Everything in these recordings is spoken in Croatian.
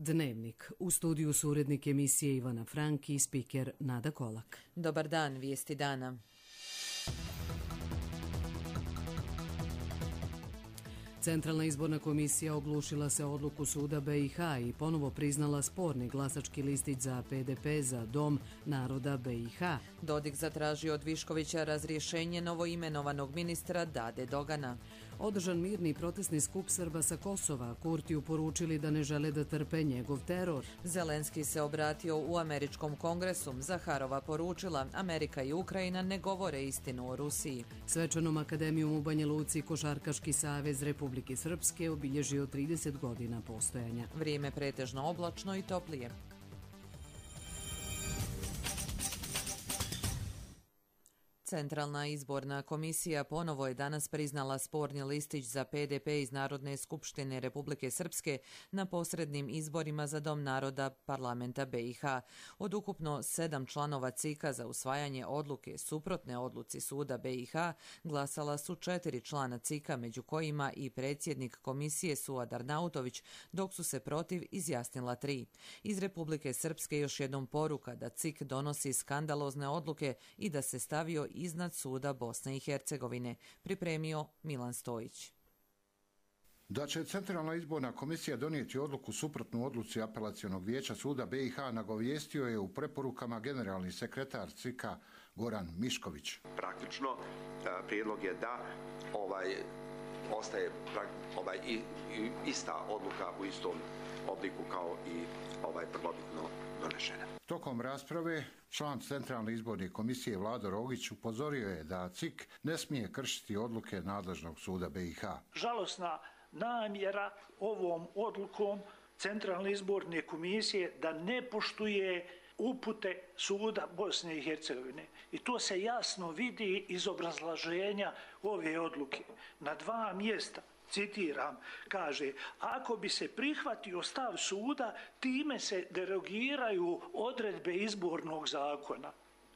Dnevnik. U studiju su urednik emisije Ivana Frank i spiker Nada Kolak. Dobar dan, vijesti dana. Centralna izborna komisija oglušila se odluku suda BiH i ponovo priznala sporni glasački listić za PDP za Dom naroda BiH. Dodik zatražio od Viškovića razrješenje novoimenovanog ministra Dade Dogana. Održan mirni protestni skup Srba sa Kosova, Kurtiju poručili da ne žele da trpe njegov teror. Zelenski se obratio u američkom kongresu. Zaharova poručila, Amerika i Ukrajina ne govore istinu o Rusiji. Svečanom akademijom u Banja Luci Košarkaški savez Republike Srpske obilježio 30 godina postojanja. Vrijeme pretežno oblačno i toplije. Centralna izborna komisija ponovo je danas priznala sporni listić za PDP iz Narodne skupštine Republike Srpske na posrednim izborima za Dom naroda parlamenta BiH. Od ukupno 7 članova CIK-a za usvajanje odluke suprotne odluci suda BiH glasala su 4 člana CIK-a, među kojima i predsjednik komisije Suad Arnautović, dok su se protiv izjasnila 3. Iz Republike Srpske još jednom poruka da CIK donosi skandalozne odluke i da se stavio iznad suda Bosne i Hercegovine, pripremio Milan Stojić. Da će Centralna izborna komisija donijeti odluku suprotnu odluci apelacionog vijeća suda BiH nagovijestio je u preporukama generalni sekretar CIK-a Goran Mišković. Praktično prijedlog je da ostaje ista odluka u istom obliku kao i prvobitno donešena. Tokom rasprave član Centralne izborne komisije Vlado Rogić upozorio je da CIK ne smije kršiti odluke nadležnog suda BiH. Žalosna namjera ovom odlukom Centralne izborne komisije da ne poštuje upute suda Bosne i Hercegovine. I to se jasno vidi iz obrazloženja ove odluke. Na 2 mjesta, citiram, kaže, ako bi se prihvatio stav suda, time se derogiraju odredbe izbornog zakona.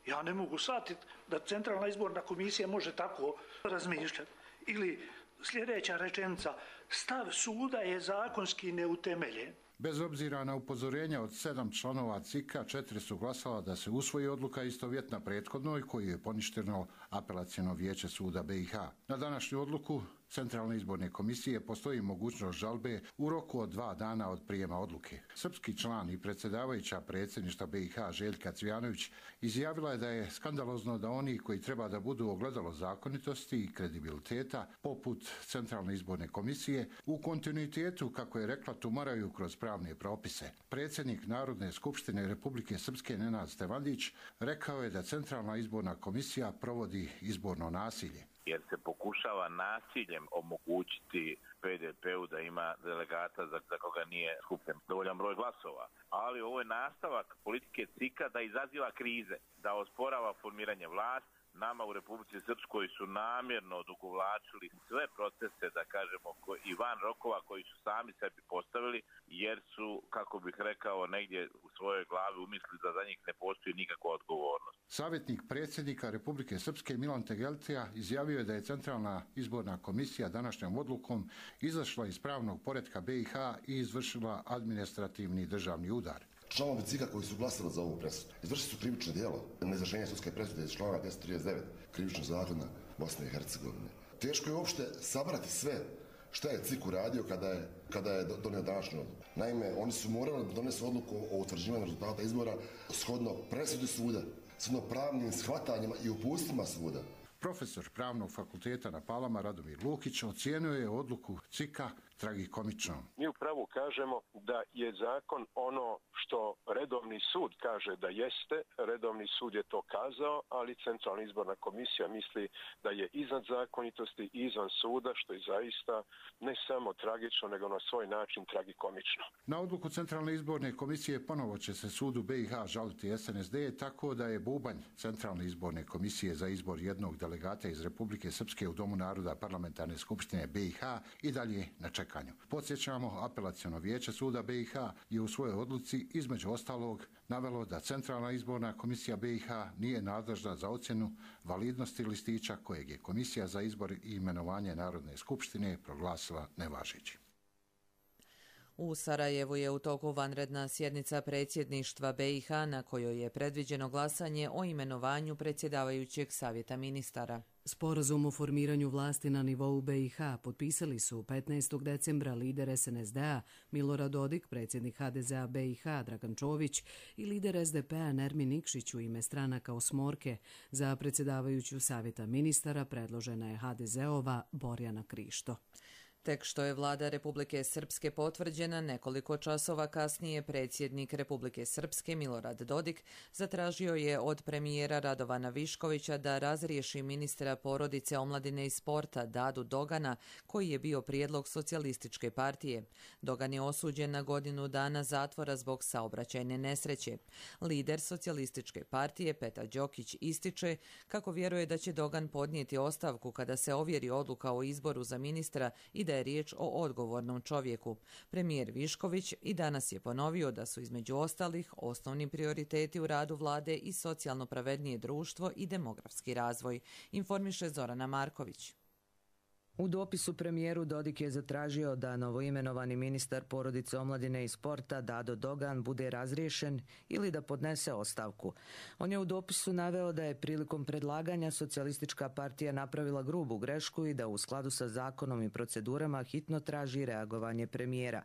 Ja ne mogu shvatiti da Centralna izborna komisija može tako razmišljati. Ili sljedeća rečenica, stav suda je zakonski neutemeljen. Bez obzira na upozorenja od 7 članova CIK-a, 4 su glasala da se usvoji odluka istovjetna prethodnoj koju je poništeno apelaciono vijeće suda BiH. Na današnju odluku Centralne izborne komisije postoji mogućnost žalbe u roku od 2 dana od prijema odluke. Srpski član i predsjedavajuća predsjedništva BiH Željka Cvijanović izjavila je da je skandalozno da oni koji treba da budu ogledalo zakonitosti i kredibiliteta, poput Centralne izborne komisije, u kontinuitetu, kako je rekla, tumaraju kroz pravne propise. Predsjednik Narodne skupštine Republike Srpske Nenad Stevandić rekao je da Centralna izborna komisija provodi izborno nasilje. Jer se pokušava nasiljem omogućiti PDP-u da ima delegata za koga nije skupljen dovoljan broj glasova. Ali ovo je nastavak politike CIK-a da izaziva krize, da osporava formiranje vlasti. Nama u Republici Srpskoj su namjerno odugovlačili sve procese, da kažemo, i van rokova koji su sami sebi postavili, jer su, kako bih rekao, negdje u svojoj glavi umislili da za njih ne postoji nikakva odgovornost. Savjetnik predsjednika Republike Srpske Milan Tegeltija izjavio je da je Centralna izborna komisija današnjom odlukom izašla iz pravnog poretka BiH i izvršila administrativni državni udar. Članovi CIK-a koji su glasali za ovu presudu izvršili su krivično djelo neizvršenja sudske presude iz člana 239 krivičnog zakona Bosne i Hercegovine. Teško je uopšte sabrati sve šta je CIK uradio kada je donio današnju odluku. Naime, oni su morali da donesu odluku o utvrđivanju rezultata izbora shodno presudi suda, shodno pravnim shvatanjima i uputstvima suda. Profesor Pravnog fakulteta na Palama Radomir Lukić ocijenio je odluku CIK-a tragikomičnom. Mi u pravu kažemo da je zakon ono što redovni sud kaže da jeste, redovni sud je to kazao, ali Centralna izborna komisija misli da je iznad zakonitosti i izvan suda, što je zaista ne samo tragično, nego na svoj način tragikomično. Na odluku Centralne izborne komisije ponovo će se sudu BiH žaliti SNSD, tako da je bubanj Centralne izborne komisije za izbor jednog delegata iz Republike Srpske u Domu naroda parlamentarne skupštine BiH i dalje na čekanju. Podsjećamo, apelaciono vijeće suda BiH je u svojoj odluci između ostalog navelo da Centralna izborna komisija BiH nije nadležna za ocjenu validnosti listića kojeg je Komisija za izbor i imenovanje Narodne skupštine proglasila nevažećim. U Sarajevu je u toku vanredna sjednica predsjedništva BiH na kojoj je predviđeno glasanje o imenovanju predsjedavajućeg savjeta ministara. Sporazum o formiranju vlasti na nivou BiH potpisali su 15. decembra lider SNSD-a Milorad Dodik, predsjednik HDZ-a BiH Dragan Čović i lider SDP-a Nermin Nikšić u ime stranaka osmorke. Za predsjedavajuću savjeta ministara predložena je HDZ-ova Borjana Krišto. Tek što je vlada Republike Srpske potvrđena, nekoliko časova kasnije predsjednik Republike Srpske Milorad Dodik zatražio je od premijera Radovana Viškovića da razriješi ministra porodice, omladine i sporta Dadu Dogana, koji je bio prijedlog Socijalističke partije. Dogan je osuđen na godinu dana zatvora zbog saobraćajne nesreće. Lider Socijalističke partije Petar Đokić ističe kako vjeruje da će Dogan podnijeti ostavku kada se ovjeri odluka o izboru za ministra i da je riječ o odgovornom čovjeku. Premijer Višković i danas je ponovio da su između ostalih osnovni prioriteti u radu vlade i socijalno pravednije društvo i demografski razvoj, informiše Zorana Marković. U dopisu premijeru Dodik je zatražio da novoimenovani ministar porodice, omladine i sporta Dado Dogan bude razriješen ili da podnese ostavku. On je u dopisu naveo da je prilikom predlaganja Socijalistička partija napravila grubu grešku i da u skladu sa zakonom i procedurama hitno traži reagovanje premijera.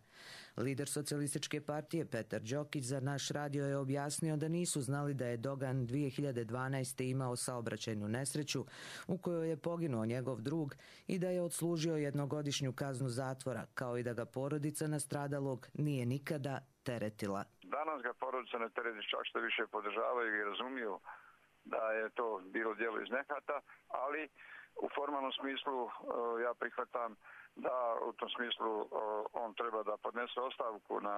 Lider Socijalističke partije Petar Đokić za naš radio je objasnio da nisu znali da je Dogan 2012. imao saobraćajnu nesreću u kojoj je poginuo njegov drug i da je odslužio jednogodišnju kaznu zatvora, kao i da ga porodica nastradalog nije nikada teretila. Danas ga porodica ne tereti, čak što više podržavaju i razumiju da je to bilo djelo iz nehata, ali u formalnom smislu ja prihvatam da u tom smislu on treba da podnese ostavku na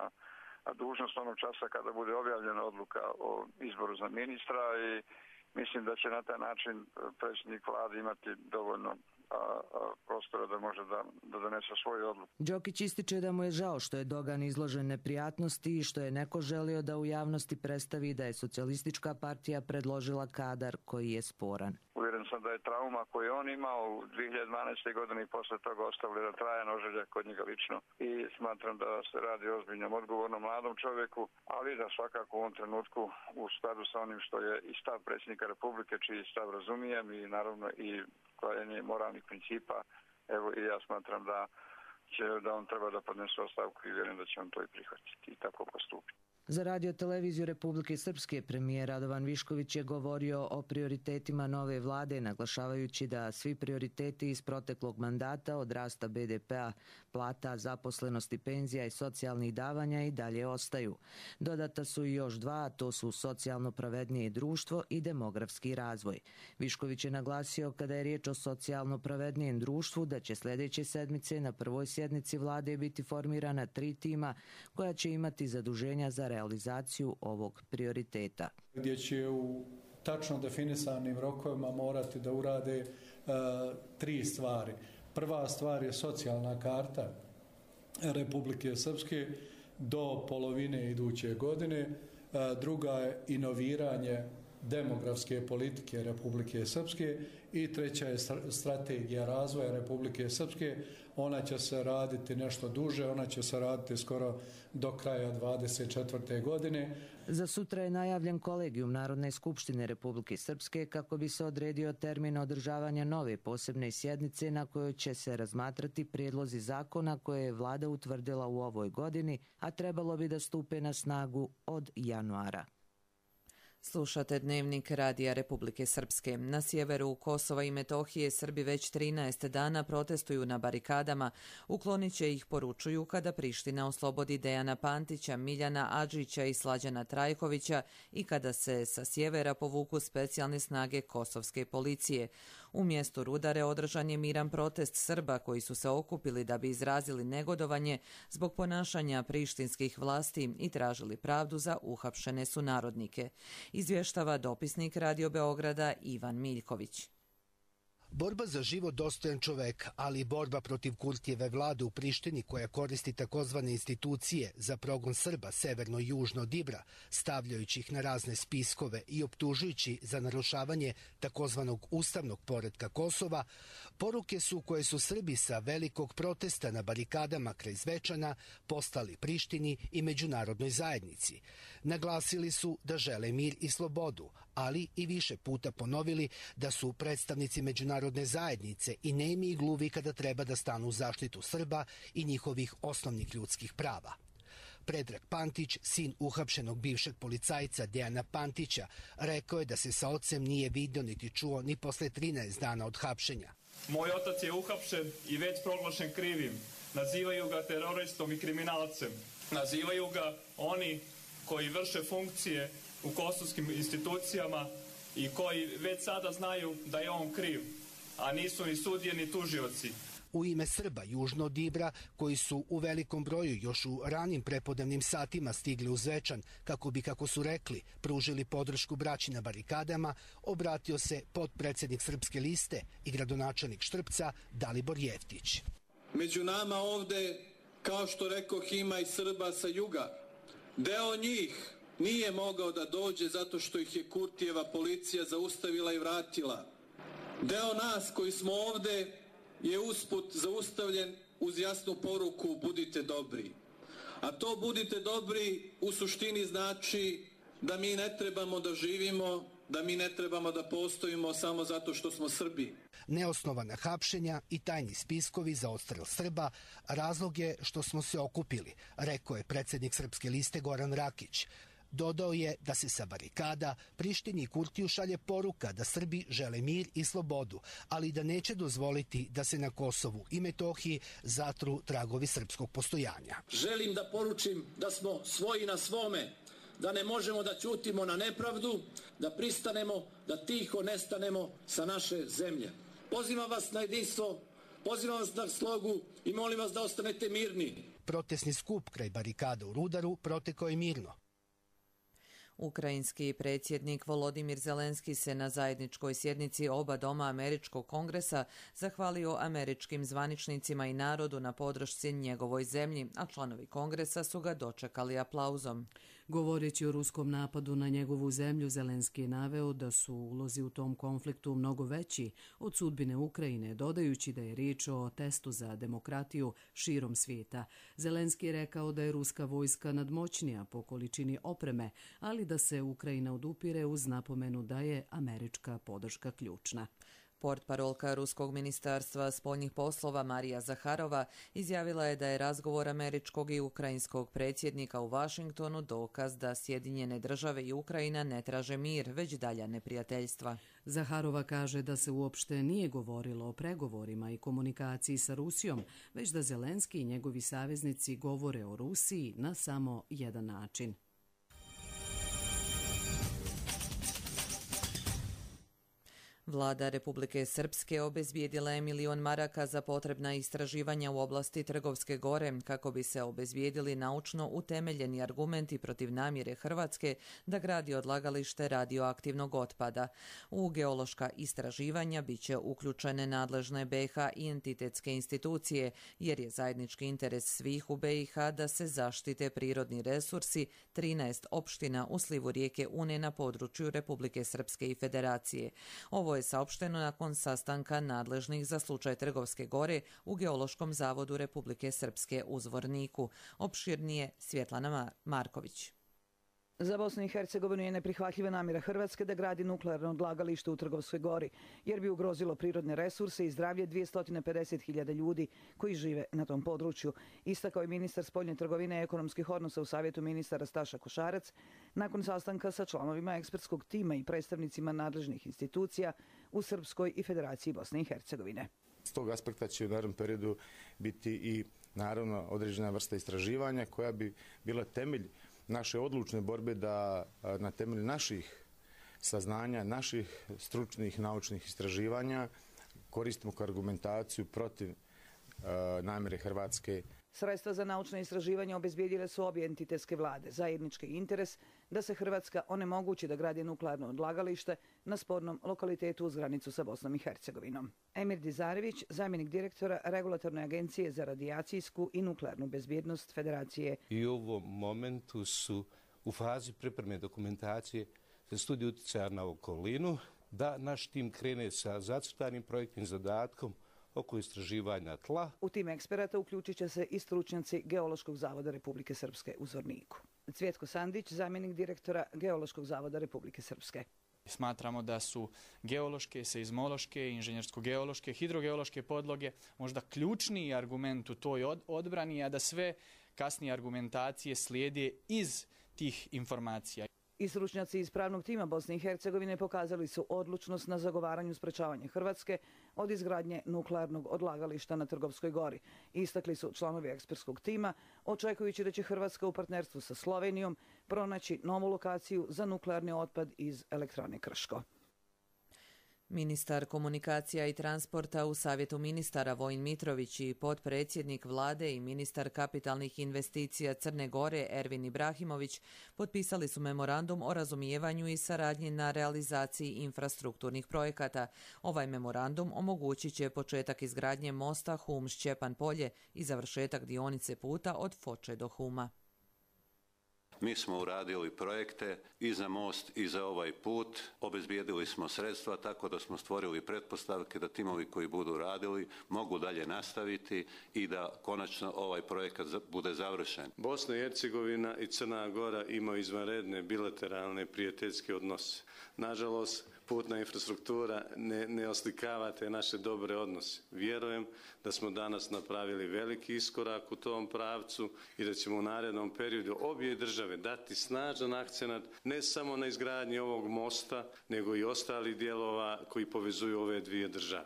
dužnost onog časa kada bude objavljena odluka o izboru za ministra i mislim da će na taj način predsjednik vlade imati dovoljno prostora da može da donese svoju odluku. Đokić ističe da mu je žao što je Dogan izložen neprijatnosti i što je neko želio da u javnosti predstavi da je Socijalistička partija predložila kadar koji je sporan. Uvjeren sam da je trauma koju on imao u 2012. godini i posle toga ostavili da trajan ožiljak kod njega lično i smatram da se radi o ozbiljnom, odgovornom mladom čovjeku, ali da svakako u ovom trenutku u skladu sa onim što je i stav predsjednika Republike, čiji stav razumijem i naravno i klajenje moralnih principa, evo i ja smatram da on treba da podnese ostavku i vjerujem da će on to i prihvatiti i tako postupiti. Za Radio televiziju Republike Srpske premijer Radovan Višković je govorio o prioritetima nove vlade, naglašavajući da svi prioriteti iz proteklog mandata od rasta BDP-a, plata, zaposlenosti, penzija i socijalnih davanja i dalje ostaju. Dodata su i još dva, a to su socijalno pravednije društvo i demografski razvoj. Višković je naglasio kada je riječ o socijalno pravednijem društvu da će sljedeće sedmice na prvoj sjednici vlade biti formirana 3 tima koja će imati zaduženja za realizaciju ovog prioriteta. Gdje će u tačno definisanim rokovima morati da urade 3 stvari. Prva stvar je socijalna karta Republike Srpske do polovine iduće godine. Druga je inoviranje demografske politike Republike Srpske i treća je strategija razvoja Republike Srpske. Ona će se raditi nešto duže, ona će se raditi skoro do kraja 2024. godine. Za sutra je najavljen kolegijum Narodne skupštine Republike Srpske kako bi se odredio termin održavanja nove posebne sjednice na kojoj će se razmatrati prijedlozi zakona koje je vlada utvrdila u ovoj godini, a trebalo bi da stupe na snagu od januara. Slušate Dnevnik Radija Republike Srpske. Na sjeveru Kosova i Metohije Srbi već 13 dana protestuju na barikadama. Uklonit će ih, poručuju, kada Priština oslobodi Dejana Pantića, Miljana Adžića i Slađana Trajkovića i kada se sa sjevera povuku specijalne snage kosovske policije. U mjestu Rudare održan je miran protest Srba koji su se okupili da bi izrazili negodovanje zbog ponašanja prištinskih vlasti i tražili pravdu za uhapšene sunarodnike. Izvještava dopisnik Radio Beograda Ivan Miljković. Borba za život dostojan čoveka, ali i borba protiv Kurtijeve vlade u Prištini koja koristi takozvane institucije za progon Srba severno i južno od Ibra, stavljajući ih na razne spiskove i optužujući za narušavanje takozvanog ustavnog poretka Kosova, poruke su koje su Srbi sa velikog protesta na barikadama kraj Zvečana postali Prištini i međunarodnoj zajednici. Naglasili su da žele mir i slobodu, ali i više puta ponovili da su predstavnici međunarodne zajednice i nemi i gluvi kada treba da stanu u zaštitu Srba i njihovih osnovnih ljudskih prava. Predrag Pantić, sin uhapšenog bivšeg policajca Dejana Pantića, rekao je da se sa ocem nije vidio niti čuo ni posle 13 dana od hapšenja. Moj otac je uhapšen i već proglašen krivim. Nazivaju ga teroristom i kriminalcem. Nazivaju ga oni koji vrše funkcije u kosovskim institucijama i koji već sada znaju da je on kriv, a nisu ni sudije ni tužioci. U ime Srba južno od Ibra, koji su u velikom broju još u ranim prepodnevnim satima stigli u Zvečan, kako bi, kako su rekli, pružili podršku braći na barikadama, obratio se potpredsednik Srpske liste i gradonačelnik Štrpca Dalibor Jeftić. Među nama ovde, kao što rekoh, ima i Srba sa juga. Deo njih nije mogao da dođe zato što ih je Kurtijeva policija zaustavila i vratila. Deo nas koji smo ovde je usput zaustavljen uz jasnu poruku budite dobri. A to budite dobri u suštini znači da mi ne trebamo da živimo, da mi ne trebamo da postojimo samo zato što smo Srbi. Neosnovana hapšenja i tajni spiskovi za odstrel Srba razlog je što smo se okupili, rekao je predsednik Srpske liste Goran Rakić. Dodao je da se sa barikada Prištini i Kurtiju šalje poruka da Srbi žele mir i slobodu, ali da neće dozvoliti da se na Kosovu i Metohiji zatru tragovi srpskog postojanja. Želim da poručim da smo svoji na svome, da ne možemo da ćutimo na nepravdu, da pristanemo, da tiho nestanemo sa naše zemlje. Pozivam vas na jedinstvo, pozivam vas na slogu i molim vas da ostanete mirni. Protesni skup kraj barikada u Rudaru protekao je mirno. Ukrajinski predsjednik Volodimir Zelenski se na zajedničkoj sjednici oba doma Američkog kongresa zahvalio američkim zvaničnicima i narodu na podršci njegovoj zemlji, a članovi kongresa su ga dočekali aplauzom. Govoreći o ruskom napadu na njegovu zemlju, Zelenski je naveo da su ulozi u tom konfliktu mnogo veći od sudbine Ukrajine, dodajući da je riječ o testu za demokratiju širom svijeta. Zelenski je rekao da je ruska vojska nadmoćnija po količini opreme, ali da se Ukrajina odupire uz napomenu da je američka podrška ključna. Portparolka Ruskog ministarstva spoljnih poslova Marija Zaharova izjavila je da je razgovor američkog i ukrajinskog predsjednika u Vašingtonu dokaz da Sjedinjene države i Ukrajina ne traže mir, već dalja neprijateljstva. Zaharova kaže da se uopšte nije govorilo o pregovorima i komunikaciji sa Rusijom, već da Zelenski i njegovi saveznici govore o Rusiji na samo jedan način. Vlada Republike Srpske obezbijedila je 1 milion maraka za potrebna istraživanja u oblasti Trgovske gore kako bi se obezbijedili naučno utemeljeni argumenti protiv namjere Hrvatske da gradi odlagalište radioaktivnog otpada. U geološka istraživanja biće uključene nadležne BiH i entitetske institucije, jer je zajednički interes svih u BiH da se zaštite prirodni resursi 13 opština u slivu rijeke Une na području Republike Srpske i Federacije. Ovo je saopšteno nakon sastanka nadležnih za slučaj Trgovske gore u Geološkom zavodu Republike Srpske u Zvorniku. Opširnije Svjetlana Marković. Za Bosnu i Hercegovinu je neprihvatljiva namjera Hrvatske da gradi nuklearno odlagalište u Trgovskoj gori, jer bi ugrozilo prirodne resurse i zdravlje 250.000 ljudi koji žive na tom području. Istakao je ministar spoljne trgovine i ekonomskih odnosa u Savjetu ministara Staša Košarac nakon sastanka sa članovima ekspertskog tima i predstavnicima nadležnih institucija u Srpskoj i Federaciji Bosne i Hercegovine. S tog aspekta će u narednom periodu biti i naravno određena vrsta istraživanja koja bi bila temelj naše odlučne borbe da na temelju naših saznanja, naših stručnih naučnih istraživanja koristimo kao argumentaciju protiv namjere Hrvatske Sredstva za naučne istraživanja obezbijedile su obje entitetske vlade. Zajednički interes da se Hrvatska onemogući da gradi nuklearno odlagalište na spornom lokalitetu uz granicu sa Bosnom i Hercegovinom. Emir Dizarević, zamjenik direktora Regulatorne agencije za radijacijsku i nuklearnu bezbjednost Federacije. I u ovom momentu su u fazi pripreme dokumentacije za studiju utjecaja na okolinu, da naš tim krene sa zacrtanim projektnim zadatkom oko istraživanja tla. U tim eksperata uključit će se i stručnjaci Geološkog zavoda Republike Srpske u Zvorniku. Cvjetko Sandić, zamjenik direktora Geološkog zavoda Republike Srpske. Smatramo da su geološke, seizmološke, inženjersko-geološke, hidrogeološke podloge možda ključni argument u toj odbrani, a da sve kasnije argumentacije slijede iz tih informacija. I stručnjaci iz pravnog tima Bosne i Hercegovine pokazali su odlučnost na zagovaranju sprečavanja Hrvatske od izgradnje nuklearnog odlagališta na Trgovskoj gori. Istakli su članovi ekspertskog tima, očekujući da će Hrvatska u partnerstvu sa Slovenijom pronaći novu lokaciju za nuklearni otpad iz elektrane Krško. Ministar komunikacija i transporta u Savjetu ministara Vojin Mitrović i potpredsjednik vlade i ministar kapitalnih investicija Crne Gore Ervin Ibrahimović potpisali su memorandum o razumijevanju i saradnji na realizaciji infrastrukturnih projekata. Ovaj memorandum omogućit će početak izgradnje mosta Hum-Šćepan polje i završetak dionice puta od Foče do Huma. Mi smo uradili projekte i za most i za ovaj put, obezbijedili smo sredstva tako da smo stvorili pretpostavke da timovi koji budu radili mogu dalje nastaviti i da konačno ovaj projekat bude završen. Bosna i Hercegovina i Crna Gora imaju izvanredne bilateralne prijateljske odnose. Nažalost, putna infrastruktura ne oslikava te naše dobre odnose. Vjerujem da smo danas napravili veliki iskorak u tom pravcu i da ćemo u narednom periodu obje države dati snažan akcenat ne samo na izgradnji ovog mosta, nego i ostalih dijelova koji povezuju ove dvije države.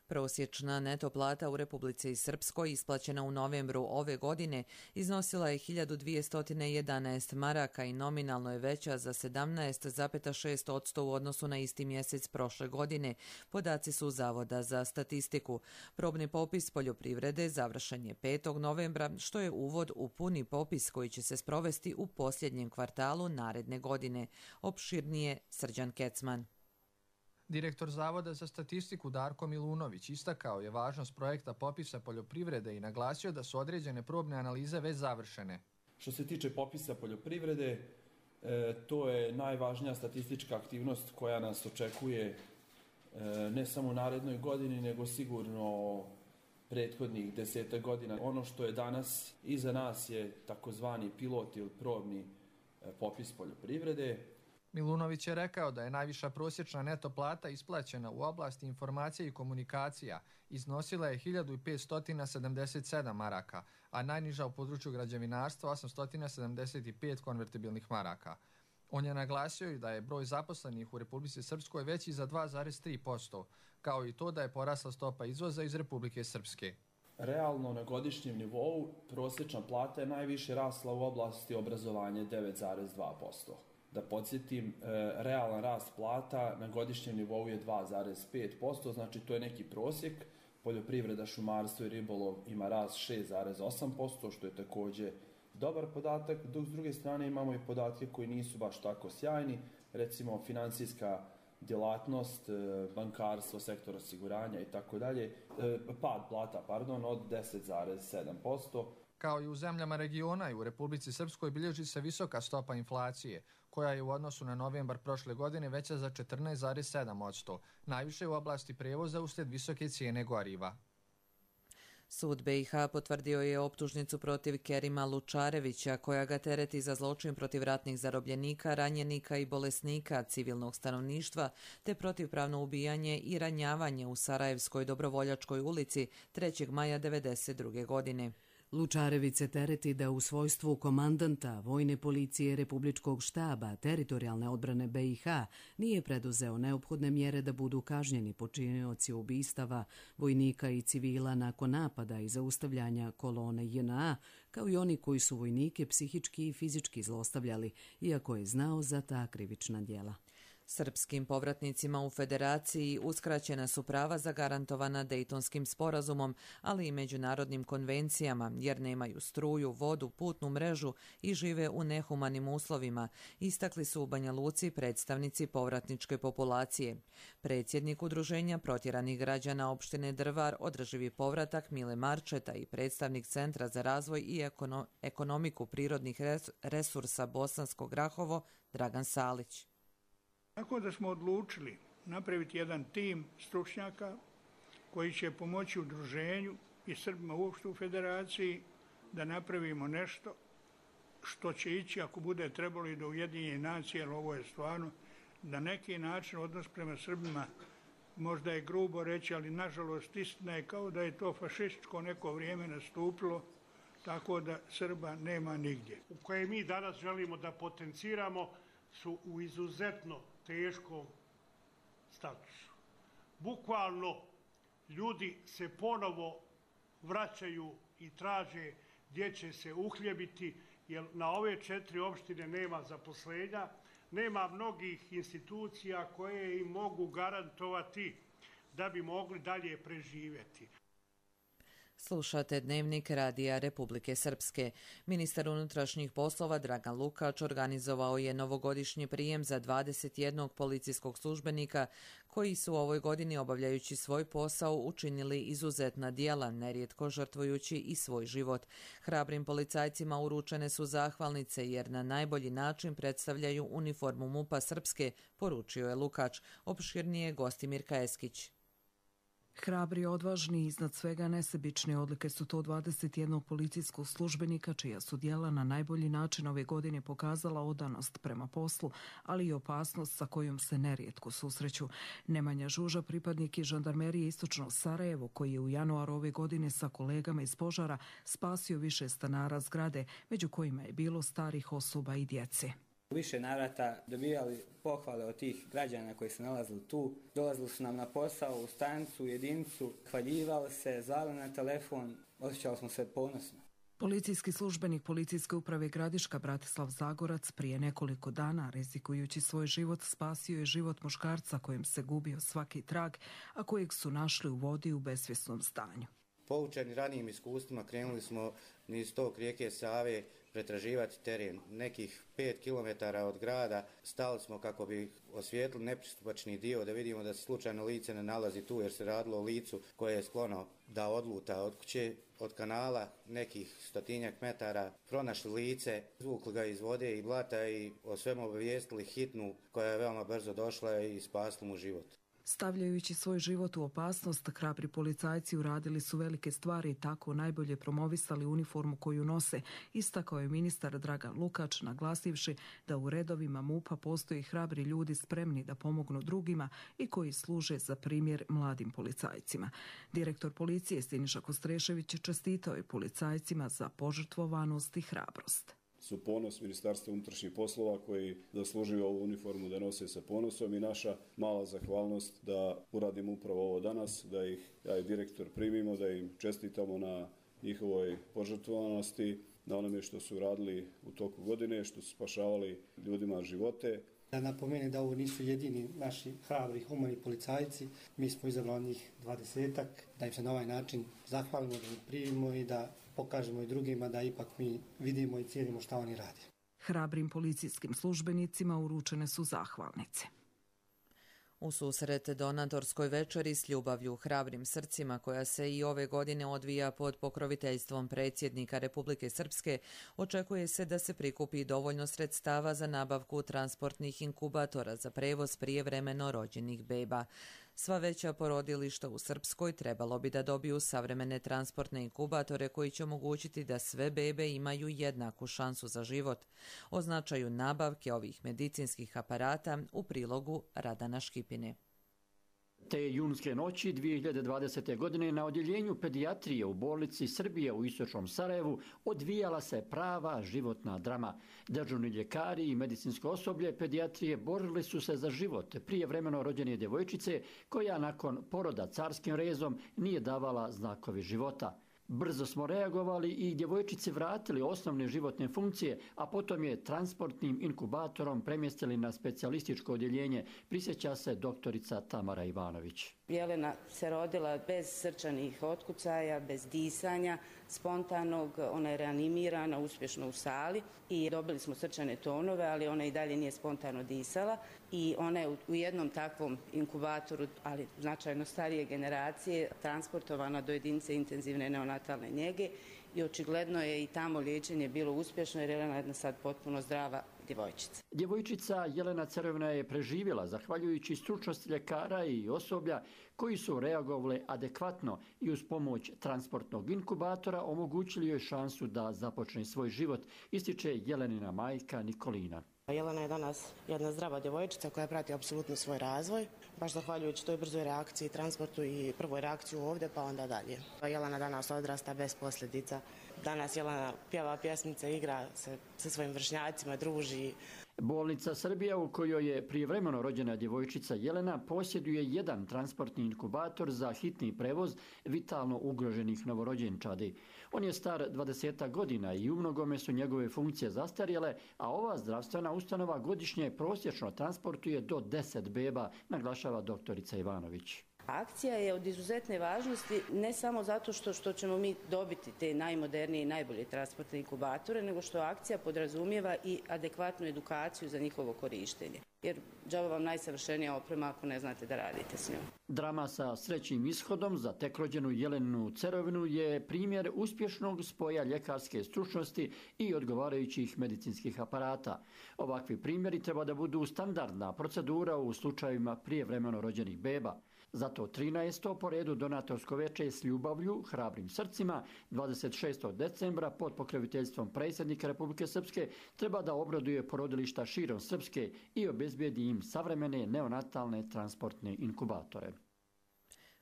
Prosječna neto plata u Republici Srpskoj isplaćena u novembru ove godine iznosila je 1211 maraka i nominalno je veća za 17,6% u odnosu na isti mjesec prošle godine. Podaci su Zavoda za statistiku. Probni popis poljoprivrede završen je 5. novembra, što je uvod u puni popis koji će se sprovesti u posljednjem kvartalu naredne godine. Opširnije Srđan Kecman. Direktor Zavoda za statistiku Darko Milunović istakao je važnost projekta popisa poljoprivrede i naglasio da su određene probne analize već završene. Što se tiče popisa poljoprivrede, to je najvažnija statistička aktivnost koja nas očekuje ne samo u narednoj godini, nego sigurno prethodnih 10 godina. Ono što je danas iza nas je takozvani pilot ili probni popis poljoprivrede. Milunović je rekao da je najviša prosječna neto plata isplaćena u oblasti informacije i komunikacija iznosila je 1577 maraka, a najniža u području građevinarstva 875 konvertibilnih maraka. On je naglasio i da je broj zaposlenih u Republici Srpskoj veći za 2,3%, kao i to da je porasla stopa izvoza iz Republike Srpske. Realno na godišnjem nivou prosječna plata je najviše rasla u oblasti obrazovanja 9,2%. Da podsjetim, realan rast plata na godišnjem nivou je 2,5%, znači to je neki prosjek. Poljoprivreda, šumarstvo i ribolov ima rast 6,8%, što je također dobar podatak, dok s druge strane imamo i podatke koji nisu baš tako sjajni, recimo financijska djelatnost, bankarstvo, sektor osiguranja i tako dalje, pad plata, od 10,7%. Kao i u zemljama regiona i u Republici Srpskoj bilježi se visoka stopa inflacije, koja je u odnosu na novembar prošle godine veća za 14,7%, najviše u oblasti prijevoza uslijed visoke cijene goriva. Sud BiH potvrdio je optužnicu protiv Kerima Lučarevića, koja ga tereti za zločin protiv ratnih zarobljenika, ranjenika i bolesnika civilnog stanovništva, te protivpravno ubijanje i ranjavanje u Sarajevskoj Dobrovoljačkoj ulici 3. maja 1992. godine. Lučarević se tereti da u svojstvu komandanta Vojne policije Republičkog štaba teritorijalne odbrane BiH nije preduzeo neophodne mjere da budu kažnjeni počinioci ubistava vojnika i civila nakon napada i zaustavljanja kolone JNA, kao i oni koji su vojnike psihički i fizički zlostavljali, iako je znao za ta krivična djela. Srpskim povratnicima u Federaciji uskraćena su prava zagarantovana Dejtonskim sporazumom, ali i međunarodnim konvencijama, jer nemaju struju, vodu, putnu mrežu i žive u nehumanim uslovima, istakli su u Banja Luci predstavnici povratničke populacije. Predsjednik Udruženja protjeranih građana opštine Drvar Održivi povratak Mile Marčeta i predstavnik Centra za razvoj i ekonomiku prirodnih resursa Bosansko Grahovo Dragan Salić. Tako da smo odlučili napraviti jedan tim stručnjaka koji će pomoći udruženju i Srbima uopšte u Federaciji da napravimo nešto što će ići, ako bude trebalo, i do Ujedinjenih nacija, jer ovo je stvarno na neki način odnos prema Srbima, možda je grubo reći, ali nažalost istina je kao da je to fašističko neko vrijeme nastupilo, tako da Srba nema nigdje. Koje mi danas želimo da potenciramo su u izuzetno teškom statusu. Bukvalno ljudi se ponovo vraćaju i traže gdje će se uhljebiti, jer na ove 4 opštine nema zaposlenja, nema mnogih institucija koje im mogu garantovati da bi mogli dalje preživjeti. Slušate Dnevnik Radija Republike Srpske. Ministar unutrašnjih poslova Dragan Lukač organizovao je novogodišnji prijem za 21 policijskog službenika koji su u ovoj godini, obavljajući svoj posao, učinili izuzetna djela, nerijetko žrtvujući i svoj život. Hrabrim policajcima uručene su zahvalnice jer na najbolji način predstavljaju uniformu MUP-a Srpske, poručio je Lukač. Opširnije Gostimir Kajeskić. Hrabri, odvažni i iznad svega nesebične odlike su to 21 policijskog službenika čija su djela na najbolji način ove godine pokazala odanost prema poslu, ali i opasnost sa kojom se nerijetko susreću. Nemanja Žuža, pripadnik iz žandarmerije Istočno Sarajevo, koji je u januaru ove godine sa kolegama iz požara spasio više stanara zgrade, među kojima je bilo starih osoba i djece. U više navrata dobijali pohvale od tih građana koji se nalazili tu. Dolazili su nam na posao, u stanicu, u jedinicu, hvaljivali se, zvali na telefon, osjećali smo se ponosno. Policijski službenik Policijske uprave Gradiška Bratislav Zagorac prije nekoliko dana, rizikujući svoj život, spasio je život muškarca kojem se gubio svaki trag, a kojeg su našli u vodi u besvjesnom stanju. Poučeni ranijim iskustvima krenuli smo niz tok rijeke Save pretraživati teren. Nekih 5 km od grada stali smo kako bi osvijetlili nepristupačni dio, da vidimo da se slučajno lice ne nalazi tu, jer se radilo o licu koje je sklono da odluta od kuće. Od kanala nekih 100-tinjak metara pronašli lice, izvukli ga iz vode i blata i o svemu obavijestili hitnu koja je veoma brzo došla i spasila mu život. Stavljajući svoj život u opasnost, hrabri policajci uradili su velike stvari i tako najbolje promovisali uniformu koju nose, istakao je ministar Dragan Lukač, naglasivši da u redovima MUP-a postoji hrabri ljudi spremni da pomognu drugima i koji služe za primjer mladim policajcima. Direktor policije Siniša Kostrešević čestitao je policajcima za požrtvovanost i hrabrost. Su ponos Ministarstva unutrašnjih poslova koji zaslužuju ovu uniformu da nose sa ponosom i naša mala zahvalnost da uradimo upravo ovo danas, da ih ja i direktor primimo, da im čestitamo na njihovoj požrtvovanosti, na onome što su radili u toku godine, što su spašavali ljudima živote. Da napomenem da ovo nisu jedini naši hrabri humani policajci, mi smo izabrali njih 20-ak, da im se na ovaj način zahvalimo, da ih primimo i da pokažemo i drugima da ipak mi vidimo i cijenimo šta oni rade. Hrabrim policijskim službenicima uručene su zahvalnice. U susret donatorskoj večeri s ljubavlju hrabrim srcima koja se i ove godine odvija pod pokroviteljstvom predsjednika Republike Srpske, očekuje se da se prikupi dovoljno sredstava za nabavku transportnih inkubatora za prevoz prijevremeno rođenih beba. Sva veća porodilišta u Srpskoj trebalo bi da dobiju savremene transportne inkubatore koji će omogućiti da sve bebe imaju jednaku šansu za život. O značaju nabavke ovih medicinskih aparata u prilogu Radana Škipine. Te junske noći 2020. godine na odjeljenju pedijatrije u bolnici Srbije u Istočnom Sarajevu odvijala se prava životna drama. Dežurni ljekari i medicinsko osoblje pedijatrije borili su se za život prijevremeno rođene djevojčice koja nakon poroda carskim rezom nije davala znakovi života. Brzo smo reagovali i djevojčici vratili osnovne životne funkcije, a potom je transportnim inkubatorom premjestili na specijalističko odjeljenje, prisjeća se doktorica Tamara Ivanović. Jelena se rodila bez srčanih otkucaja, bez disanja, spontanog, ona je reanimirana uspješno u sali i dobili smo srčane tonove, ali ona i dalje nije spontano disala i ona je u jednom takvom inkubatoru, ali značajno starije generacije, transportovana do jedinice intenzivne neonatalne njege i očigledno je i tamo liječenje bilo uspješno jer Jelena je jedna sad potpuno zdrava djevojčica. Djevojčica Jelena Crvena je preživjela zahvaljujući stručnosti ljekara i osoblja koji su reagovali adekvatno i uz pomoć transportnog inkubatora omogućili joj šansu da započne svoj život, ističe Jelenina majka Nikolina. Jelena je danas jedna zdrava djevojčica koja prati apsolutno svoj razvoj, baš zahvaljujući toj brzoj reakciji, transportu i prvoj reakciju ovdje pa onda dalje. Jelena danas odrasta bez posljedica. Danas Jelena pjeva pjesmice, igra se sa svojim vršnjacima, druži. Bolnica Srbija u kojoj je prijevremeno rođena djevojčica Jelena posjeduje jedan transportni inkubator za hitni prevoz vitalno ugroženih novorođenčadi. On je star 20 godina i u mnogome su njegove funkcije zastarjele, a ova zdravstvena ustanova godišnje prosječno transportuje do 10 beba, naglašava doktorica Ivanović. Akcija je od izuzetne važnosti ne samo zato što ćemo mi dobiti te najmodernije i najbolje transportne inkubatore, nego što akcija podrazumijeva i adekvatnu edukaciju za njihovo korištenje. Jer džaba vam najsavršenija oprema ako ne znate da radite s njom. Drama sa srećnim ishodom za tek rođenu Jelenu Cerovinu je primjer uspješnog spoja ljekarske stručnosti i odgovarajućih medicinskih aparata. Ovakvi primjeri treba da budu standardna procedura u slučajevima prijevremeno rođenih beba. Zato 13. po redu donatorsko veče s ljubavlju, hrabrim srcima, 26. decembra pod pokroviteljstvom predsjednika Republike Srpske treba da obraduje porodilišta širom Srpske i obezbijedi im savremene neonatalne transportne inkubatore.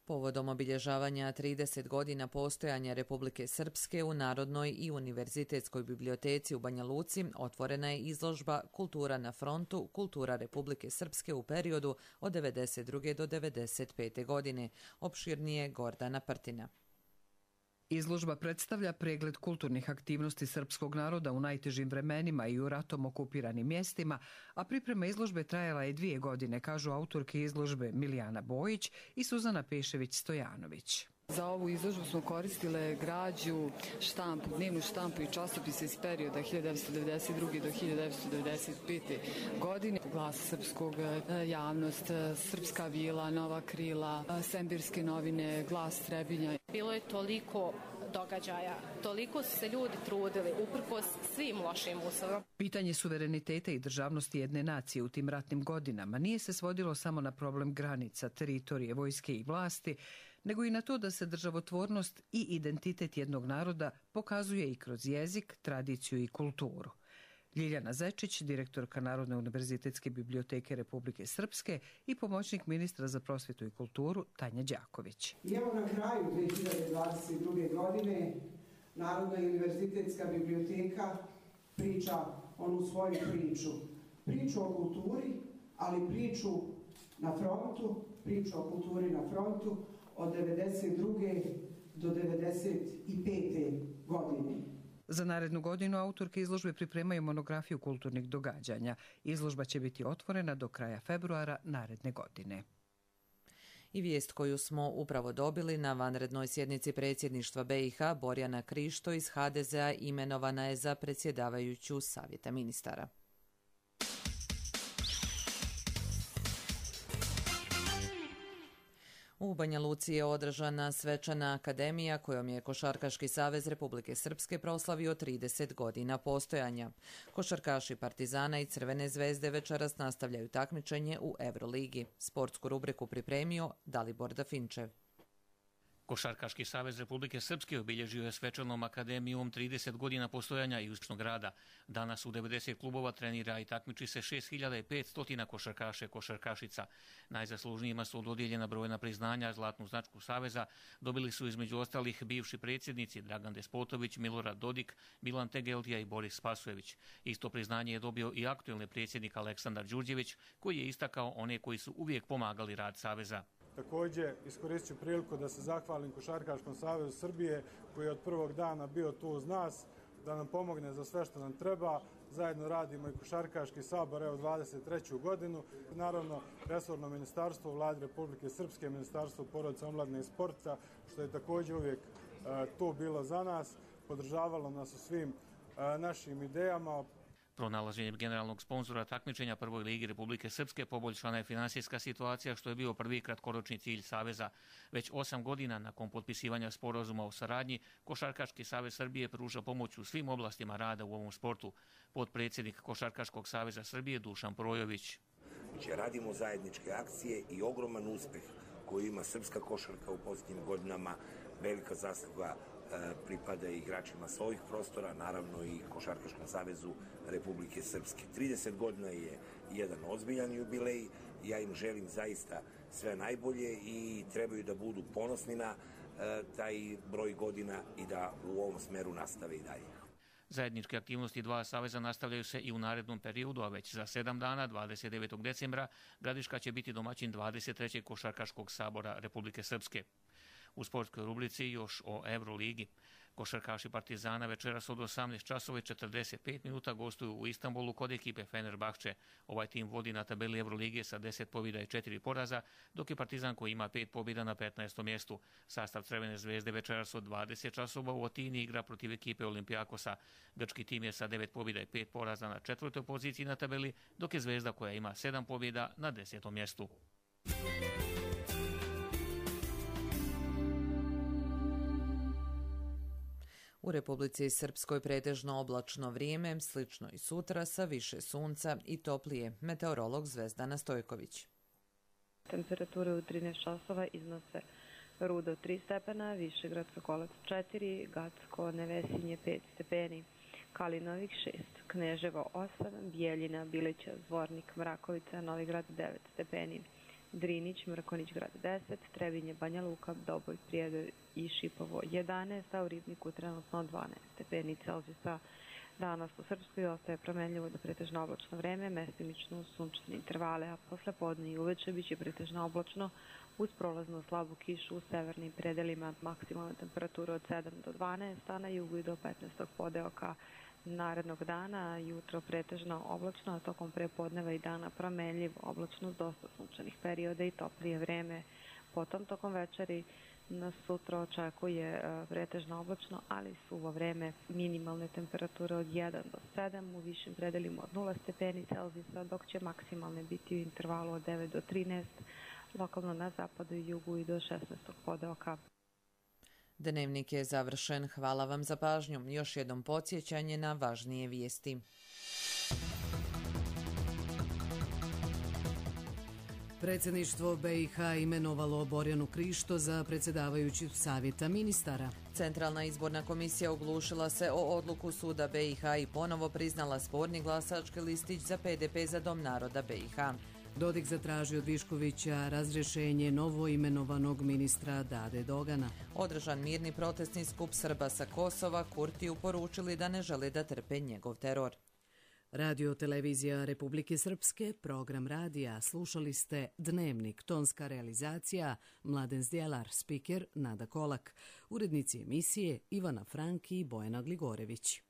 Povodom obilježavanja 30 godina postojanja Republike Srpske u Narodnoj i univerzitetskoj biblioteci u Banja Luci otvorena je izložba Kultura na frontu, kultura Republike Srpske u periodu od 1992. do 1995. godine. Opširnije Gordana Prtina. Izložba predstavlja pregled kulturnih aktivnosti srpskog naroda u najtežim vremenima i u ratom okupiranim mjestima, a priprema izložbe trajala je 2 godine, kažu autorke izložbe Milijana Bojić i Suzana Pešević-Stojanović. Za ovu izložbu smo koristile građu, štampu, dnevnu štampu i časopise iz perioda 1992. do 1995. godine. Glas srpskog, javnost, Srpska vila, Nova krila, Sembirske novine, Glas Trebinja. Bilo je toliko događaja, toliko su se ljudi trudili uprkos svim lošim uslovima. Pitanje suvereniteta i državnosti jedne nacije u tim ratnim godinama nije se svodilo samo na problem granica, teritorije, vojske i vlasti, nego i na to da se državotvornost i identitet jednog naroda pokazuje i kroz jezik, tradiciju i kulturu. Ljiljana Zečić, direktorka Narodne univerzitetske biblioteke Republike Srpske i pomoćnik ministra za prosvjetu i kulturu Tanja Đaković. I evo na kraju 2022. godine Narodna univerzitetska biblioteka priča onu svoju priču. Priču o kulturi, ali priču na frontu, priču o kulturi na frontu od 1992. do 1995. godine. Za narednu godinu autorke izložbe pripremaju monografiju kulturnih događanja. Izložba će biti otvorena do kraja februara naredne godine. I vijest koju smo upravo dobili na vanrednoj sjednici predsjedništva BiH, Borjana Krišto iz HDZ-a imenovana je za predsjedavajuću Savjeta ministara. U Banja Luci je održana svečana akademija kojom je Košarkaški savez Republike Srpske proslavio 30 godina postojanja. Košarkaši Partizana i Crvene zvezde večeras nastavljaju takmičenje u Euroligi. Sportsku rubriku pripremio Dalibor Dafinčev. Košarkaški savez Republike Srpske obilježio je svečanom akademijom 30 godina postojanja i uspješnog rada. Danas u 90 klubova trenira i takmiči se 6500 košarkaša i košarkašica. Najzaslužnijima su dodijeljena brojna priznanja, zlatnu značku saveza dobili su između ostalih bivši predsjednici Dragan Despotović, Milorad Dodik, Milan Tegeltija i Boris Spasojević. Isto priznanje je dobio i aktuelni predsjednik Aleksandar Đurđević, koji je istakao one koji su uvijek pomagali rad saveza. Također iskoristit ću priliku da se zahvalim Košarkaškom savezu Srbije koji je od prvog dana bio tu uz nas, da nam pomogne za sve što nam treba. Zajedno radimo i Košarkaški sabor, evo 23. godinu. Naravno, resorno ministarstvo Vlade Republike Srpske, Ministarstvo porodice, omladine i sporta, što je također uvijek tu bilo za nas, podržavalo nas u svim našim idejama. Pronalaženjem generalnog sponzora takmičenja Prvoj ligi Republike Srpske poboljšana je finansijska situacija, što je bio prvi kratkoročni cilj Saveza. Već 8 godina nakon potpisivanja sporazuma o saradnji, Košarkaški savez Srbije pruža pomoć u svim oblastima rada u ovom sportu. Potpredsjednik Košarkaškog saveza Srbije Dušan Projović. Radimo zajedničke akcije i ogroman uspeh koji ima srpska košarka u posljednjim godinama, velika zasluga pripada igračima s ovih prostora, naravno i Košarkaškom savezu Republike Srpske. 30 godina je jedan ozbiljan jubilej, ja im želim zaista sve najbolje i trebaju da budu ponosni na taj broj godina i da u ovom smeru nastave i dalje. Zajedničke aktivnosti dva saveza nastavljaju se i u narednom periodu, a već za 7 dana, 29. decembra, Gradiška će biti domaćin 23. Košarkaškog sabora Republike Srpske. U sportskoj rubrici još o Euroligi. Košarkaši Partizana večeras od 18:45 minuta gostuju u Istanbulu kod ekipe Fenerbahče. Ovaj tim vodi na tabeli Eurolige sa 10 pobjeda i 4 poraza, dok je Partizan koji ima 5 pobjeda na 15. mjestu. Sastav Crvene zvezde večeras od 20 u Atini igra protiv ekipe Olimpijakosa. Grčki tim je sa 9 pobjeda i 5 poraza na 4. poziciji na tabeli, dok je Zvezda koja ima 7 pobjeda na 10. mjestu. U Republici Srpskoj pretežno oblačno vrijeme, slično i sutra sa više sunca i toplije. Meteorolog Zvezdana Stojković. Temperature u 13 časova iznose Rudo 3 stepena, Višegradska Kolac 4, Gacko, Nevesinje 5 stepeni, Kalinovik 6, Kneževo 8, Bijeljina, Bilića, Zvornik, Mrakovica, Novigrad 9 stepeni, Drinić, Mrkonić grad 10, Trebinje, Banja Luka, Doboj, Prijedor i Šipovo 11, a u Ribniku trenutno 12 stepeni Celzijusa. Danas u Srpskoj ostaje promenljivo do pretežno oblačno vreme, mestimično sunčane intervale, a posle podne i uveče biće pretežno oblačno uz prolaznu slabu kišu u severnim predelima, maksimalna temperatura od 7 do 12, a na jugu i do 15. podeoka narednog dana, jutro pretežno oblačno, a tokom prepodneva i dana promenljiv, oblačno s dosta sunčanih perioda i toplije vreme. Potom tokom večeri nas sutra očekuje pretežno oblačno, ali suvo vreme, minimalne temperature od 1 do 7, u višim predelima od 0 stepeni Celzijusa, dok će maksimalne biti u intervalu od 9 do 13, lokalno na zapadu i jugu i do 16. podeoka. Dnevnik je završen. Hvala vam za pažnju. Još jednom podsjećanje na važnije vijesti. Predsjedništvo BiH imenovalo Borjanu Krišto za predsjedavajuću savjeta ministara. Centralna izborna komisija oglušila se o odluku suda BiH i ponovo priznala sporni glasački listić za PDP za Dom naroda BiH. Dodik zatražio od Viškovića razrješenje novo imenovanog ministra Dade Dogana. Održan mirni protestni skup Srba sa Kosova, Kurtiju poručili da ne žele da trpe njegov teror. Radio televizija Republike Srpske, program radija, slušali ste Dnevnik, tonska realizacija, Mladen Zdjelar, spiker Nada Kolak, urednici emisije Ivana Franki i Bojana Gligorević.